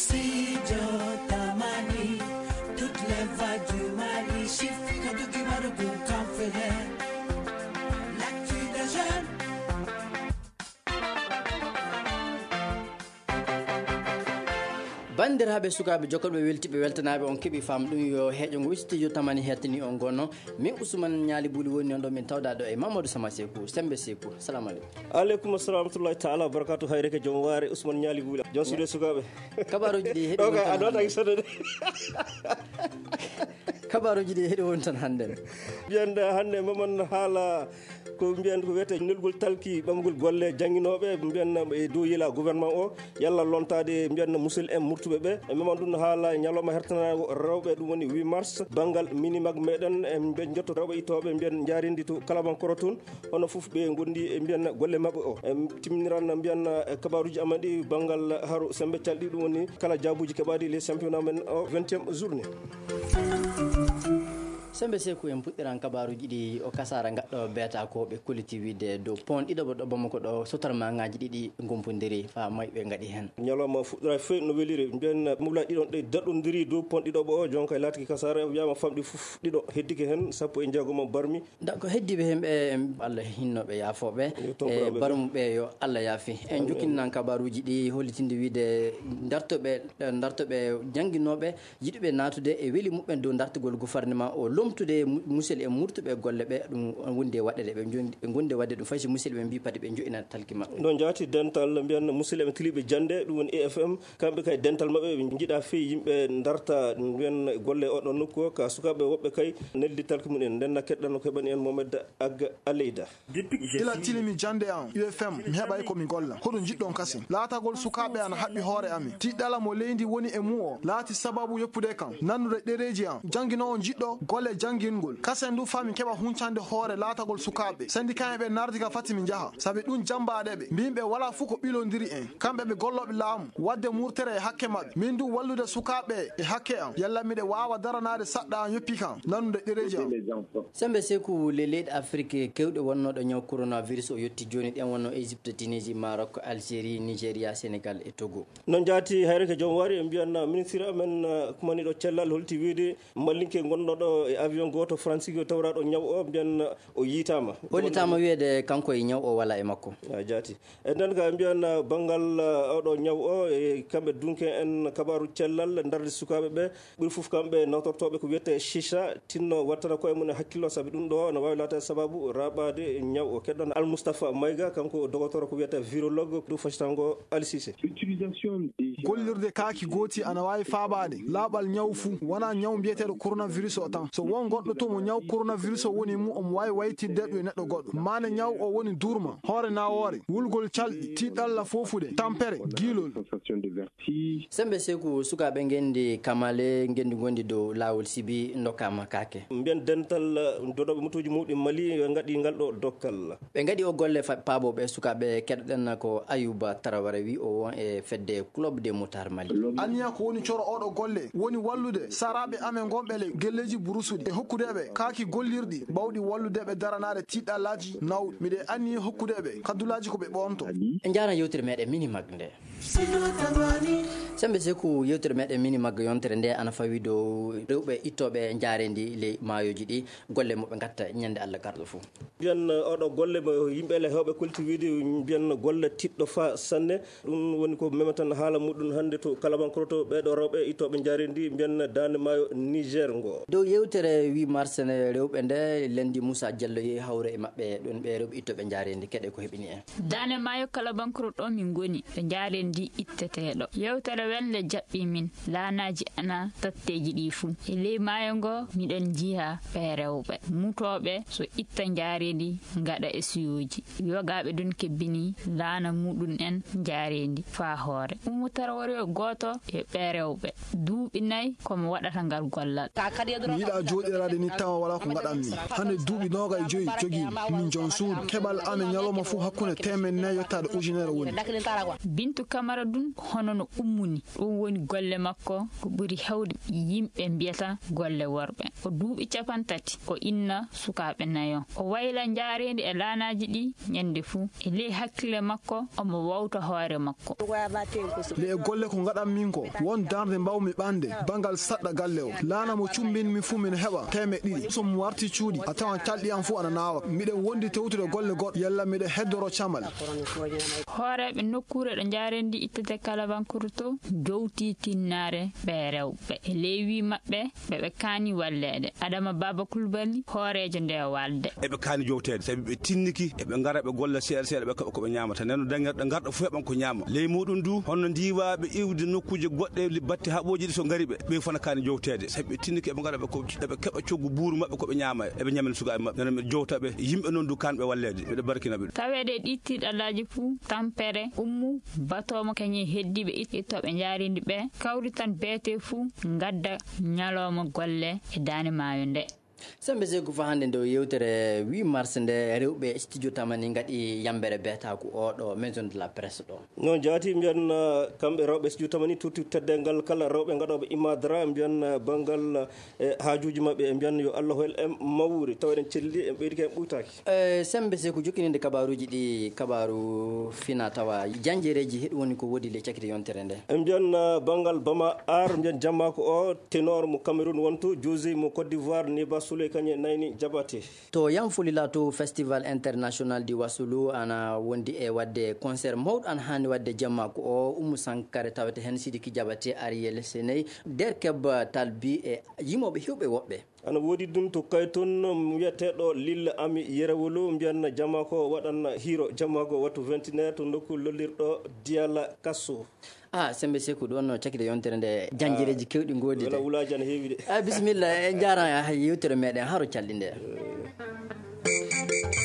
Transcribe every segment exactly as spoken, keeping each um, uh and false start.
Studio Tamani, toutes les voix du Mali, chiffre que du Kibaru Kanfele. L'actu des jeunes. Banndiraaɓe, sukaaɓe, jokkoɓe, weltiɓe, weltanaaɓe, on keɓi faam ɗum yo heeƴo ngo studio Tamani hettini on gono. Min Ousmane Ñaali Buli woni on ɗo, min tawda ɗo e Mamadou Sama Seku, Sembe Seku. Salamu aleykum. Aleykum assalam wa rahmatullahi taala wa barakatuh. Hayre ke joom waare, Ousmane Ñaali Buli. Joom suuɗe sukaaɓe. Kabaruuji ɗi heɗi Ɗo won kay tan a ɗo hannde. Tan sodde. Kabaruuji ɗi heɗi won tan hannde. Mbiyen hannde maman haala ko mbiyen ko wiyetee nelgol talki ɓamgol golle jannginooɓe, mbiyen e dow yila gouvernement o, yalla lontaade mbiyen musidɓe en murtuɓe ɓe. E maman ɗum haala ñalawma hertanaago rewɓe, ɗum woni huit mars, banngal Minimag meɗen, en mbiyen jotto rewɓe ittooɓe mbiyen njaarindi to Kalabankoro toon. Hono fof ɓe ngondi e mbiyan golle maɓɓe o. En timmiran mbiyan, eh, kabaruuji amen ɗi banngal haro Sembe Calɗi, ɗum woni kala jaabuuji keɓaaɗi les championnat men o vingtième journée. Sembe Seku, en puɗɗiran kabaruuji ɗi o kasaara gaɗɗo beeta ko ɓe kolliti wiide dow pont ɗiɗo ɗo Bamako ɗo sotar ma ngaji ɗiɗi gompondiri fa mayɓe ngaɗi heen. Ñalawma fuɗɗora fof no weliri. Mbiyan mobla ɗiɗon ɗe daɗɗondiri dow pont ɗiɗo o, jonka laatiki kasaara wiyama famɗi fof ɗiɗo heddike heen, sappo e jeegom barmi. Da ko heddiiɓe heen ɓe, Allah hinnooɓe yaafooɓe. Yo tombiraɓe e barmuɓe yo Allah yaafi. En jokkinnan kabaruuji ɗi hollitinde wiide dartoɓe, dartoɓe jannginooɓe yiɗuɓe naatude e weli muɓɓen dow dartugol gouvernement o lomtude mu-, musidɓe e murtuɓe golle ɓe, ɗum wondi e waɗde ɓe njon-, ɓe ngondi e waɗde ɗum fay si musidɓe ɓe mbii pati ɓe njoɗɗina talki maɓɓe. No jaati dental mbiyan musidɓe tiliɓe jannde, ɗum woni E F M, kamɓe kay dental maɓɓe ɓe njiɗa fii yimɓe darta mbiyan golle oɗon nokku o, ka sukaaɓe woɓɓe kay neldi talki mum en, ndenna keɗɗano keɓani en Mohamed Agga Aleyda. Ila tilimi jannde am, U F M, mi heɓay ko mi golla. Hoɗum njiɗɗon kasin? Laatagol sukaaɓe ana haɓɓi hoore amin. Tiɗɗala mo leydi woni e mum o laati sababu yoppude kam, nannude ɗereeji am. Jannginoowo njiɗɗo golle janngingol. Kasen du faa mi keɓa huncande hoore laatagol sukaaɓe. Sendikaaɓe ɓe nardi ka fati mi njaha. Sabi ɗum jammbaaɗe ɓe. Mbimɓe walaa fuu ko ɓilondiri en. Kamɓe ɓe gollooɓe laamu. Waɗde murtere e hakke maɓɓe. Min du wallude sukaaɓe e hakke am. Yalla miɗe waawa daranaade saɗɗa am yoppi kam. Nannude ɗereeji am. Sembe Seku, le leyɗe Afrik kewɗe wonnooɗo ñaw coronavirus o yotti jooni. Ɗen wonno Égypte, Tunisie, Maroc, Algérie, Nigeria, Sénégal e Togo. No jaati hayre ko joom waari, en mbiyan ministre amen, eh, kumaniɗo cellal holti wiide mallinke gonɗo ɗo e avion gooto Fransi ko tawraɗo ñaw o, mbiyan o yiitaama. Hollitaama wiyeede kanko e ñaw o wala e makko. A jaati. E nden ka mbiyan banngal, eh, oɗo ñaw o, e kamɓe dunke en kabaaru cellal darde sukaaɓe ɓe. Ɓuri fof kamɓe nawtortooɓe ko wiyetee chicha, tinno wattana koye mum e hakkillo, sabi ɗum ɗo no waawi laataade sababu raɓaade ñaw o. Keɗɗon Al Moustapha Mayga, kanko dogotoro ko wiyetee virologue, ɗum facitango Ali Cissé. Gollirde kaaki gooti ana waawi faabaade laaɓal ñaw fuu, wonaa ñaw mbiyeteeɗo coronavirus o tan. So won goɗɗo to mo ñaw coronavirus o woni mum, omo waawi waytidde ɗum e neɗɗo goɗɗo. Maande ñaw o woni durma, hoore nawoore, wulgol calɗi, tiiɗalla foofude, tampere, giilol. Sembe Seku, sukaaɓe ngenndi Kamale, ngenndi ngonndi dow laawol Sibi, ndokkaama kaake. Mbiyen dental, eh, dodooɓe motooji mawɗi Mali, ɓe ngaɗi ngal ɗo dokkal. Ɓe ngaɗi o golle fa-, paabooɓe sukaaɓe keɗoɗen ko Ayuba Tarawara wi o won e fedde Club des Motards Mali. Anniya ko woni coro oɗo golle, woni wallude saraaɓe amen ngonɓe le gelleeji burusuɗi e hokkude ɓe kaaki gollirɗi bawɗi wallude ɓe daranaade tiiɗallaaji nawɗi. Miɗe anniyi hokkude ɓe kaddulaaji ko ɓe ɓoonto. En njaaran yewtere meɗen Mini Mag nde. Sembe Seku, yewtere meɗen Mini Mag yontere nde ana fawi dow rewɓe ittooɓe njaareendi ley maayooji ɗi, golle mo ɓe ngatta ñande Allah garɗo fof. Mbiyan, eh, oɗo golle mo yimɓe ele hewɓe kolti wiide, mbiyan golle tiɗɗo fa sanne. Ɗum woni ko mematan haala muɗum hannde to Kalabankoro to ɓeeɗo rewɓe ittooɓe njaareendi mbiyan daande maayo Niger ngo. Dow yewtere huit mars ne rewɓe nde lendi Moussa Diallo yehi hawre e maɓɓe ɗon ɓe rewɓe ittooɓe njaareendi keɗe ko heɓini en. Daande maayo Kalabankoro ɗo min ngoni, ɗo njaareendi itteteeɗo. Yewtere welle jaɓɓi min, laanaaji ana tatteeji ɗi fuu. E ley maayo ngo, miɗen njiha ɓee rewɓe. Mutooɓe so itta njaareendi, ngaɗa e siyooji. Yogaaɓe ɗon kebbini laana muɗum en njaareendi faa hoore. Ummu Tarawore o gooto e ɓee rewɓe. Duuɓi nay ko mo waɗata ngal gollal. Mi yiɗaa jooɗiraade ni tawa walaa ko ngaɗanmi. Hannde duuɓi noogay e joyi jogiimi. Min jon suudu. Keɓal amen ñalawma fof hakkunde teemeɗɗe nayi yottaade ujunere woni. Bintu Kamara ɗum hono no ummuni. Ɗum woni golle makko ko ɓuri heewde yimɓe mbiyata golle worɓe. O duuɓi cappanɗe tati, o inna sukaaɓe nayo. O wayla njaareendi e laanaaji ɗi ñande fuu. E ley hakkille makko, omo wawta hoore makko. Le e golle ko ngaɗan min ko, won darnde mbawmi ɓande, bangal saɗɗa galle o. Laana mo cumbin mi fuu min heɓa teemeɗɗe ɗiɗi. So mi warti cuuɗi, a tawan calɗi am fuu ana naawa. Miɗen wondi tewtude golle goɗɗe, yalla miɗen heddoro camal. Hooreeɓe nokkuure ɗo njaareendi ittete kala bankuruto, jowti tinnaare ɓe rewɓe. E ley wii maɓɓe, ɓe ɓe kaani walleede. Adama Baba Kulbali, hooreejo nde walde. Eɓe kaani jowteede, sabi ɓe tinniki, eɓe ngara ɓe golla seeɗa seeɗa, ɓe keɓa ko ɓe ñaamata. Nden no dañirɗe ngarɗo fof eɓan ko ñaama. Ley muɗum du, hono ndiwaaɓe iwde nokkuuje goɗɗe, li-, batte haɓooji ɗi so ngari ɓe, ɓe fof na kaani jowteede. Sabi ɓe tinniki, eɓe ngara ɓe ko, eɓe keɓa coggu buuru maɓɓe ko ɓe ñaama, eɓe ñamina sukaaɓe maɓɓe. Nden no miɗo jowta ɓe, yimɓe noon du kaan ɓe walleede. Miɗo barkina ɓe. Taweede e ɗi tiiɗallaaji fuu, tampere ummu, batoomo kañum e heddiiɓe it-, ittooɓe njaareendi ɓe, kawritan beete fuu, ngadda ñalawma golle e daande maayo nde. Sembe Seeku, fa hannde nde o yewtere huit mars nde, rewɓe studio Tamani ngaɗi yambere beetaaku o ɗo Maison de la Presse ɗo. Noon jaati mbiyan, eh, kamɓe rewɓe studio Tamani tutti teddengal kala rewɓe ngaɗooɓe imadra mbiyan, eh, banngal, eh, haajuuji maɓɓe e mbiyan yo Allah hol en mawri tawa eɗen celli en ɓeydike en ɓuytaaki. Eh, Sembe Seeku, jokkininde kabaaruuji ɗi, kabaaru fina tawa janjereeji heɗi woni ko woodi le cakite yontere nde. En mbiyan, eh, banngal Bama Ar, mbiyan jammaako o, tenor mo Cameroun wonto, José mo Côte d'Ivoire, Neba Souley kañe nayni Jabate. To Yamfulila to Festival International di Wasulu ana wondi e wadde concert mawɗo ana haani wadde jammaako o, Umu Sankare tawete heen Sidiki Jabate, Ariel Seney, Der Keb Talbi e yimooɓe hewɓe woɓɓe. Ana woodi ɗum to Kayton, wiyeteeɗo Lil Ami Yerewolo, mbiyan jammaako waɗan hiro jammaako wattu vingt et une heures to nokku lollirɗo Diyala Kasso. Ah, Sembe Seeku, ɗo no cakkiɗe yontere nde, janjereeji kewɗi ngoodi de. Wala wulaaji ana heewi de. Ah, bisimilla, en njaaraama e yewtere meɗen, haro calɗi nde.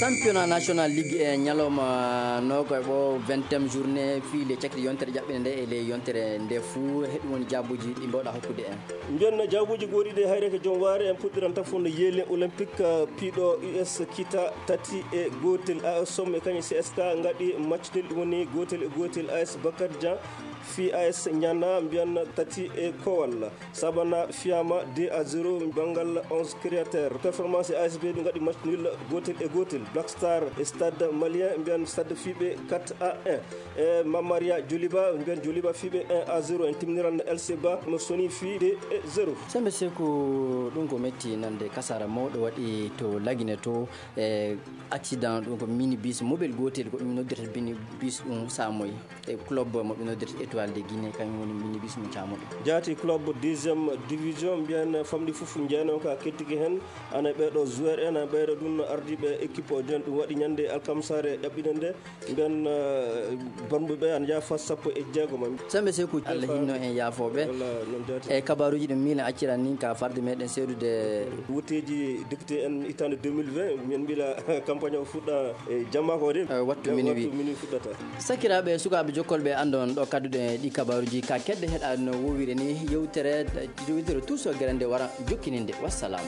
Championnat national ligue e ñalawma nooko e ɓo vingtième journée fii le cakkiɗe yontere ƴaɓɓinde nde e le yontere nde fuu, heɗum woni jaabuuji ɗi mbawɗa hokkude en. Mbiyan jaabuuji gooɗi ɗe hayre ko joom waare en puɗɗiran tafon no yeelen olympique, uh, piiɗo U S kita tati e gootel. A S Somme e kañum C S K ngaɗi match nul, ɗum woni gootel e gootel. A S Bakar Dia fii A S Ñana mbiyan tati e kowal. Sabana fiyama deux à zéro banngal onze créateur. Performance A S B ɓe ngaɗi match nul gootel e gootel. Black Star e Stade Malien mbiyan Stade fiiɓe quatre à un. E Mamaria Joliba mbiyan Joliba fiiɓe un à zéro. En timniran L C Ba mo soni fii deux à zéro. Sembe Seeku, ɗum ko metti nande kasara mawɗo waɗi to Lagine to, e accident, ɗum ko minibus mobile gootel ko ɗum noddirta minibus ɗum Samoy. E club mo ɓe noddirta Étoile de Guinée, kañum woni minibus mo caamuɗo. Jaati club deuxième division, mbiyan famɗi fof jeyno ka kettiki heen. Ana ɓeeɗo joueur en, ana ɓeeɗo ɗum ardiiɓe équipe o jon, ɗum waɗi ñande alkamsaare ɗaɓɓinde nde. Mbiyan, eh, bonɓe ɓe ana njaha fas sappo e jeegom. Sembe Seeku, Allah hinno en yaafooɓe. Walla noon jaati. E kabaaruuji ɗum miin acciran ni ka farde meɗen seedude. Wutteeji député en hitaande deux mille vingt, min mbila campagne o fuɗɗa e jamma ko de. Eh, wattu minuit. Wattu minuit fuɗɗata. Sakiraaɓe, sukaaɓe jokkolɓe, anndon ɗo kadduɗe ɗi kabaaruuji ka kedde heɗaade no wowire ni yewtere, yewtere Tuuso Gere nde wara jokkininde. Wassalam.